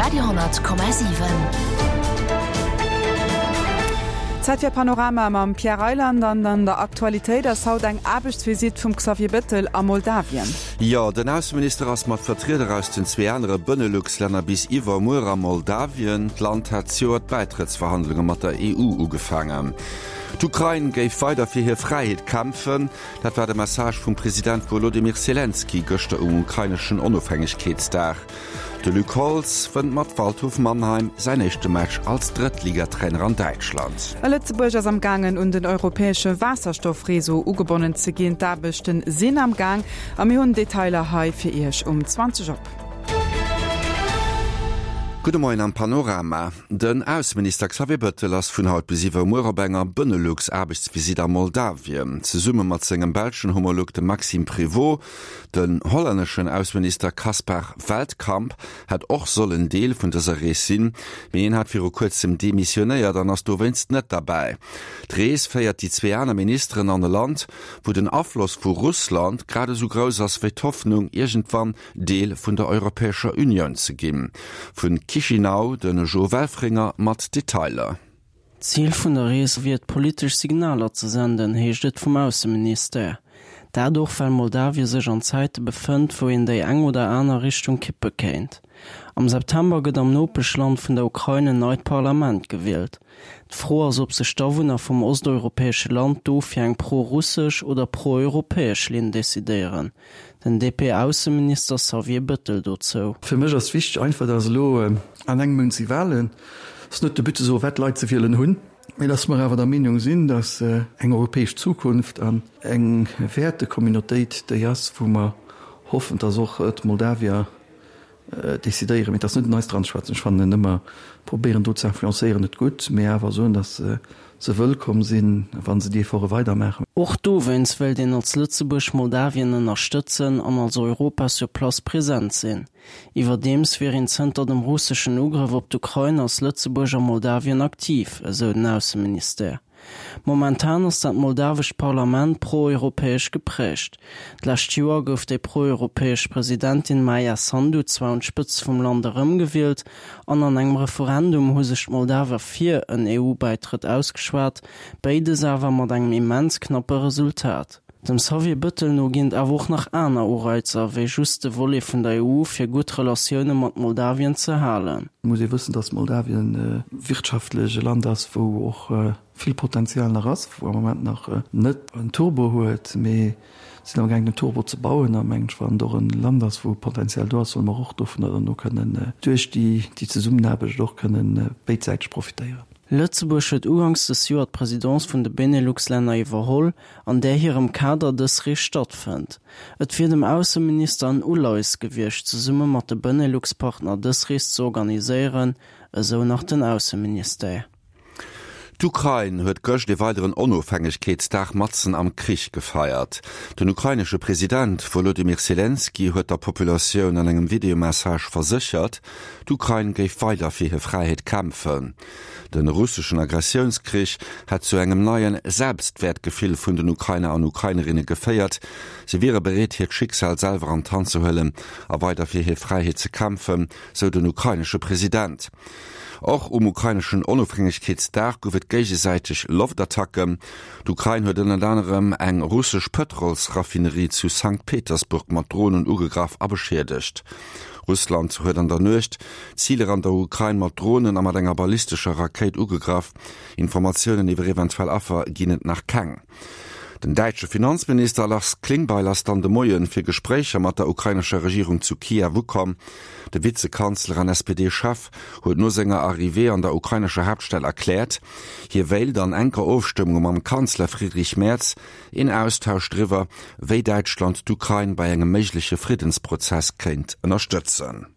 Radio 10,7. Zäit fir Panorama mam Pierre Reyland an an der Aktualitéit ass haut eng Aarbechtsvisitt vum Xavier Bettel a Moldawien. Jo, den Ausseminister ass mat Vertrieder aus den zwee anere Benelux-Länner bis iwwermuer a Moldawien. D'Land hat zejoert d'Bäitrëttsverhandlunge mat der EU ugefaangen. D'Ukrain géif weider fir hir Fräiheet kämpfen. Dat war de Message vum President Wolodymyr Selenskyj gëschter um ukraineschen Onofhängegkeetsdag. De Luc Holtz wënnt mat Waldhof Mannheim säin éischte Match als Drëttligatrainer an Däitschland. A Lëtzebuerg ass am gaangen un den europäesche Waasserstoffreseau ugebonnen ze ginn. D'Aarbechte sinn am Gaang a mir hunn Detailer hei fir Iech um 20 op. Gudde Moien am Panorama. Den Ausseminister Xavier Bettel ass vun haut bis iwwermuer op enger Benelux-Aarbechtsvisitt a Moldawien. Zesumme mat sengem belschen Homolog, dem Maxime Prévot. Den hollänneschen Ausseminister Caspar Veldkamp hätt och sollen Deel vun dëser Rees sinn, mee hien hat viru kuerzem demissionéiert an ass dowéinst net derbäi. D'Rees féiert déi zwee aner Ministeren an e Land, wou den Afloss vu Russland grad esou grouss ass wéi d'Hoffnung, iergendwann Deel vun der Europäescher Unioun ze ginn. Vu Chisinau de Jo Welfringer mat Detailer. D'Zil vun der Rees wier et politesch Signaler ze senden, heescht et vum Ausseministère. Dat och well Moldawie sech an Zäite befënnt, wou een déi eng oder aner Richtung kippe kéint. Am September gëtt am Nopeschland vun der Ukrain en neit Parlament gewielt. D'Fro ass, ob sech d'Awunner vum osteuropäesche Land do fir eng pro-russesch oder pro-europäesch Linn decidéieren. Den DP-Ausseminister Xavier Bëttel dozou. Fir mech ass wichteg einfach, dass elo an engem Mount si Wahlen. Et ass net de But ze soen, wat d'Leit ze wielen hunn, mee dass mer awer der Meenung sinn, dass eng europäesch Zukunft an eng Wäertecommunautéit déi ass, wou mer hoffen, dass och d'Moldawier Decidéieren, mee et ass net un eis dran ze schwätzen. Ech fannen ëmmer probéieren do ze influencéieren net gutt, mee awer soen, datt se wëllkomm sinn, wa se déi Efforte weidermaachen. Och dowéinst wéilt een als Lëtzebuerg Moldawien ënnerstëtzen an als Europa sur place present sinn. Iwwerdeems wier een zënter dem russeschen Ugrëff op d'Ukrain als Lëtzebuerg a Moldawien aktiv, esou den Ausseministère. Momentan ass dat moldawescht Parlament pro-europäesch geprägt. D'lescht Joer gouf déi pro-europäesch Presidentin Maia Sandu zwar un d'Spëtzt vum Land erëmgewielt an an engem Referendum hu sech d'Moldawer fir en EU-Bäitrëtt ausgeschwat, béides awer mat engem immens knappe Resultat. Dem Xavier Bëttel no ginn et awer och nach aner Ureizer, wéi just de Volet vun der EU, fir gutt Relatioune mat Moldawien ze halen. Et muss ee wëssen, datt Moldawien wirtschaftlech e Land ass, wou och vill Potenzial nach ass, wou am Moment nach net en Turbo huet, mee sinn am gaangen den Turbo ze bauen. A mengen ech, wann et och e Land ass, wou Potenzial do ass, solle mer och dovunner dann och kënnen duerch déi Zesummenaarbecht och kënnen béidsäiteg profitéieren. Lëtzebuerg huet uganks des Joer d'Presidence vun de Benelux-Länner iwwerholl, an där hirem Kader dës Rees stattfënnt. Et wier dem Ausseminister en Uleies gewiescht, zesumme mat de Benelux-Partner dës Rees ze organiséieren, esou nach den Ausseministère. D'Ukrain huet gëscht ee weideren Onofhängegkeetsdag matzen am Krich gefeiert. Den ukrainesche President Wolodymyr Selenskyj huet der Populatioun an engem Videomessage verséchert, d'Ukrain géif weider fir hir Fräiheet kämpfen. De russeschen Agressiounskrich hätt zu engem neie Selbstwäertgefill vun den Ukrainer an Ukrainerinne geféiert. Si wiere bereet, hiert Schicksal selwer an d'Hand ze huelen a weider fir hir Fräiheet ze kämpfen, sou den ukrainesche President. Och um ukraineschen Onofhängegkeetsdag gouf et géigesäiteg Loftattacken. D'Ukrain huet ënnert anerem eng russesch Pëtrolsraffinerie zu Sankt Petersburg mat Dronen ugegraff a beschiedegt. Russland huet an der Nuecht Ziler an der Ukrain mat Dronen a mat enger ballistescher Rakéit ugegraff. Informatiounen iwwer eventuell Affer ginn et nach keng. Den däitsche Finanzminister Lars Klingbeil ass dann de Moie fir Gespréicher mat der ukrainescher Regierung zu Kiew ukomm. De Vizekanzler an SPD-Chef huet no senger Arrivée an der ukrainescher Haaptstad erkläert, hie wéilt an enker Ofstëmmung mam Kanzler Friedrich Merz Een Austausch driwwer, wéi Däitschland d'Ukrain bei engem méigleche Friddensprozess kéint ënnerstëtzen.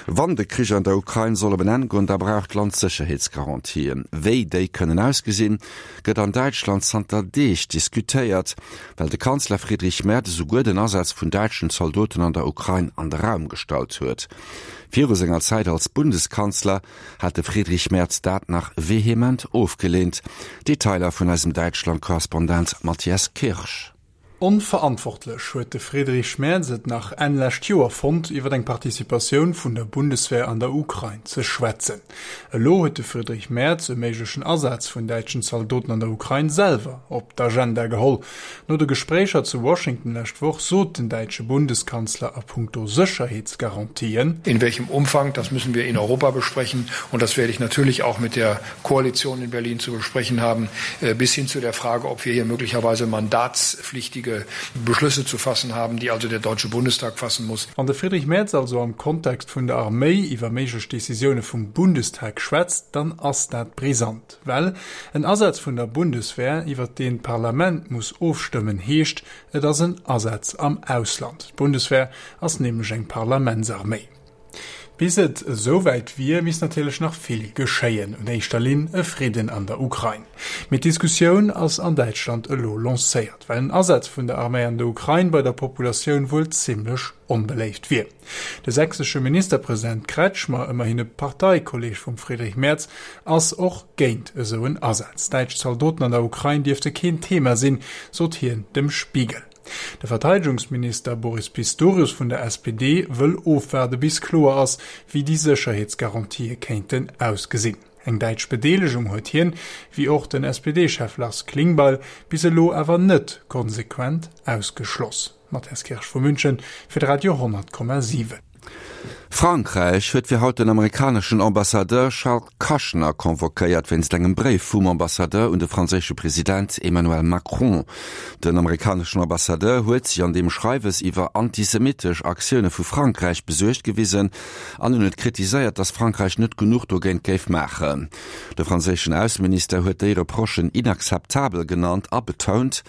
Wann de Krich an der Ukrain soll op en Enn goen, da brauch d'Land Sécherheetsgarantien. Wéi déi kënnen ausgesinn, gëtt an Däitschland zanter Deeg diskutéiert, well de Kanzler Friedrich Merz esouguer den Asaz vun däitschen Zaldoten an der Ukrain an de Raum gestallt huet. Viru senger Zäit als Bundeskanzler hat de Friedrich Merz dat nach vehement ofgeleent. Detailer vun eisem Däitschland-Korrespondent Matthias Kirsch. Onverantwortlech huet de Friedrich Merz et nach Enn lescht Joer fonnt, iwwer eng Participatioun vun der Bundeswehr an der Ukrain ze schwätzen. Elo huet de Friedrich Merz e méiglechen Asaz vun däitschen Zaldoten an der Ukrain selwer op d'Agenda geholl. No de Gespréicher zu Washington lescht Woch sot den däitsche Bundeskanzler a puncto Sécherheetsgarantien. In welchem Umfang, das müssen wir in Europa besprechen und das werde ich natürlich auch mit der Koalition in Berlin zu besprechen haben, bis hin zu der Frage, ob wir hier möglicherweise mandatspflichtige Beschlüsse zu fassen haben, die also der Deutsche Bundestag fassen muss. Wann de Friedrich Merz also am Kontext vun der Arméi iwwer méiglech Decisioune vum Bundestag schwätzt, dann ass dat brisant. Well en Asaz vun der Bundeswehr, iwwer deen d'Parlament muss ofstëmmen, heescht, et ass en Asaz am Ausland. D'Bundeswehr ass nämlech eng Parlamentsarméi. Bis et esou wäit wier, misst natierlech nach vill geschéien, un éischter Linn e Fridden an der Ukrain. Mee d'Diskussioun ass an Däitschland elo lancéiert, well en Asaz vun der Arméi an der Ukrain bei der Populatioun wuel zimmlech onbeléift wier. De sächsesche Ministerpresident Kretschmer, ëmmerhin e Parteikolleeg vum Friedrich Merz, ass och géint esou en Asaz. Däitsch Zaldoten an der Ukrain dierfte keen Thema sinn, sot hien dem Spiegel. De Verteidegungsminister Boris Pistorius vun der SPD wëll ofwaarde bis kloer ass, wéi déi Sécherheetsgarantië kéinten ausgesinn. Eng däitsch Bedeelegung huet hien, wéi och den SPD-Chef Lars Klingbeil, bis elo awer net konsequent ausgeschloss. Matthias Kirsch vu München fir de Radio 100,7. Frankräich huet fir haut den amerikaneschen Ambassadeur Charles Kushner convoquéiert wéinst engem Bréif vum Ambassadeur un de franséische President Emmanuel Macron. Den amerikaneschen Ambassadeur huet sech an deem Schreiwes iwwer antisemittesch Aktioune vu Frankräich besuergt gewisen an en huet kritiséiert, datt Frankräich net genuch dogéint géif maachen. De franséischen Ausseminister huet déi Reprochen inakzeptabel genannt a betount,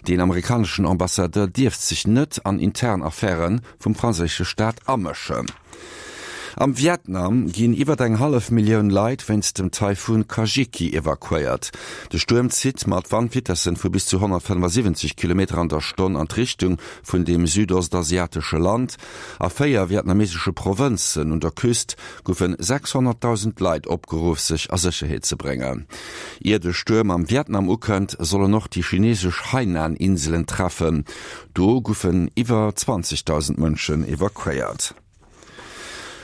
deen amerikaneschen Ambassadeur dierft sech net an intern Affäre vum franséische Staat amëschen. Am Vietnam ginn iwwer eng hallef Millioun Leit wéinst dem Taifun Kajiki evakuéiert. De Stuerm zitt mat Wandvitessen vu bis zu 175 Kilometer an der Stonn an d'Richtung vun deem südostasiatesche Land. A 4 vietnamesesche Provënzen un der Küst goufe 600.000 Leit opgeruff, sech a Sécherheet ze bréngen. Ier de Stuerm am Vietnam ukënnt, soll en och déi chinesesch Hainan-Inselen treffen. Do goufen iwwer 20.000 Mënschen evakuéiert.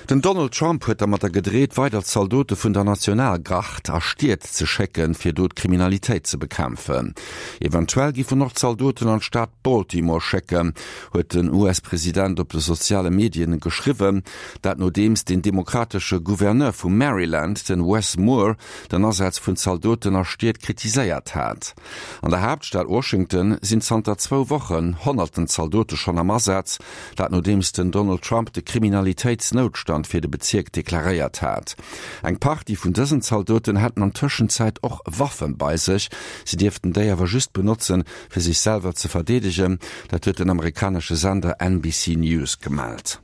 Den Donald Trump huet dermatter gedreet, weider Zaldote vun der Nationalgard a Stied ze schécken, fir do d'Kriminalitéit ze bekämpfen. Eventuell giff en och Zaldoten an d'Stad Baltimore schécken, huet den US-President op de soziale Medien geschriwwen. Dat nodeems den demokratesche Gouverneur vu Maryland, den Wes Moore, den Asaz vun Zaldoten a Stied kritiséiert hat. An der Haaptstad Washington sinn zanter zwou Wochen honnerten Zaldote schonn am Asaz, dat nodeems den Donald Trump de Kriminalitéitsnoutstand fir de Bezierk deklaréiert hat. Eng Partie vun dësen Zaldoten hätten an Tëschenzäit och Waffe bei sech, si dierften déi awer just benotzen, fir sech selwer ze verdeedegen, dat huet den amerikanesche Sender NBC News gemellt.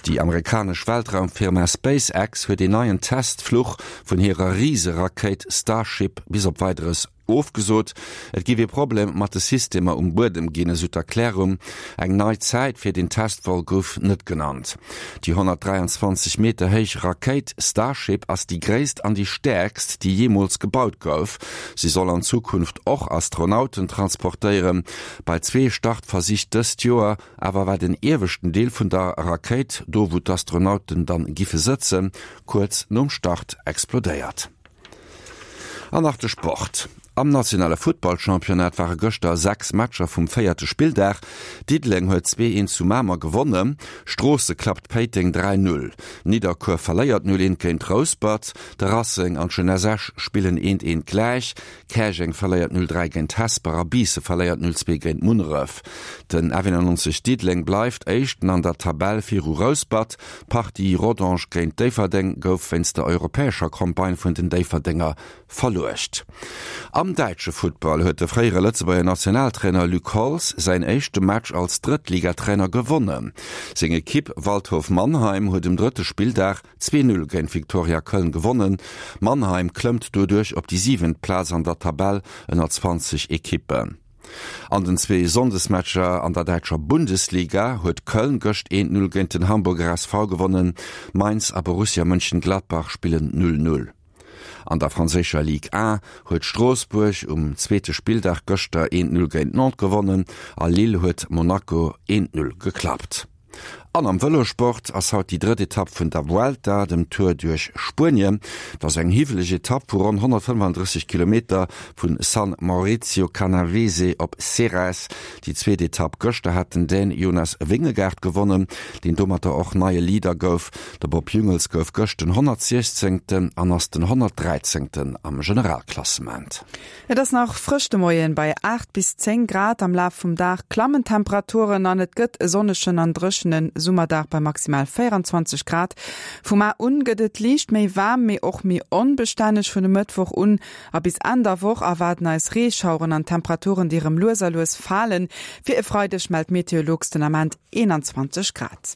Déi amerikanesch Weltraumfirma SpaceX huet een neien Testfluch vun hirer Riserakéit Starship bis op Weideres ofgesot. Et géif ee Problem mat de Systemer um Buedem ginn, esou d'Erklärung. Eng nei Zäit fir den Testvol gouf net genannt. Déi 123 Meter héich Rakéit Starship ass déi gréisst an déi stäerkst, déi jeemools gebaut gouf. Si soll an Zukunft och Astronauten transportéieren. Bei zwee Startversich dëst Joer Awer war den ieweschten Deel vun der Rakéit, do wou d'Astronauten dann giffe sëtzen, kuerz nom Start explodéiert. An nach de Sport, Am nationale Futtballchampionnat ware gëschter 6 Matcher vum véierte Spilldag. Diddeleng huet 2, 1 zu Mamer gewonnen, Stroosse klappt Péiteng 3, 0, Nidderkuer verléiert 0, 1 géint Rouspert, de Racing an d'Jeunesse Esch spillen 1, 1 gläich. Käerjeng verléiert 0, 3 géint Hesper a Biisse verléiert 0, 2 géint Munneref. Den F91 Diddeleng bleift Éischten an der Tabell viru Rouspert. D'Partie Rodange géint Déifferdeng gouf wéinst der europäescher Campagne vun den Déifferdenger verluecht. Am däitsche Futtball huet de fréiere Lëtzebuerger Nationaltrainer Luc Holtz säin éischte Match als Drëttligatrainer gewonnen. Seng Ekipp Waldhof Mannheim huet um drëtte Spilldag 2, 0 géint Viktoria Köln gewonnen. Mannheim klëmmt doduerch op déi siwent Plaz an der Tabell ënner 20 Ekippen. An den zwee Sonndesmatcher an der däitscher Bundesliga huet Köln gëscht 1, 0 géint den Hamburger SV gewonnen. Mainz a Borussia Mönchengladbach spillen 0, 0. An der franséischer Ligue 1 huet Stroossbuerg um zweete Spilldag gëschter 1, 0 géint Nantes gewonnen a Lille huet Monaco 1, 0 geklappt. An am Vëlosport ass haut déi drëtt Etapp vun der Vuelta, dem Tour duerch Spuenien. Et ass eng hiwweleg Etapp vu ronn 135 Kilometer vu San Maurizio Canavese op Ceres. Déi zweet Etapp gëschter hat den Dän Jonas Vingegaard gewonnen, deen domatter och neie Leader gouf. De Bob Jungels gouf gëscht den 116. an ass den 113. am Generalklassement. Et ass nach frësch de Moien, bei 8 bis 10 Grad. Am Laf vum Dag klammen d'Temperaturen an et gëtt e sonnegen an dréchene Summerdag bei maximal 24 Grad. Vu mar un gëtt et liicht méi waarm, mee och méi onbestänneg. Vun e Mëttwoch un a bis Enn der Woch erwaarden eis Reeschaueren an Temperaturen, déi erëm lues a lues falen. Fir e Freideg mellt Meteolux den Ament 21 Grad.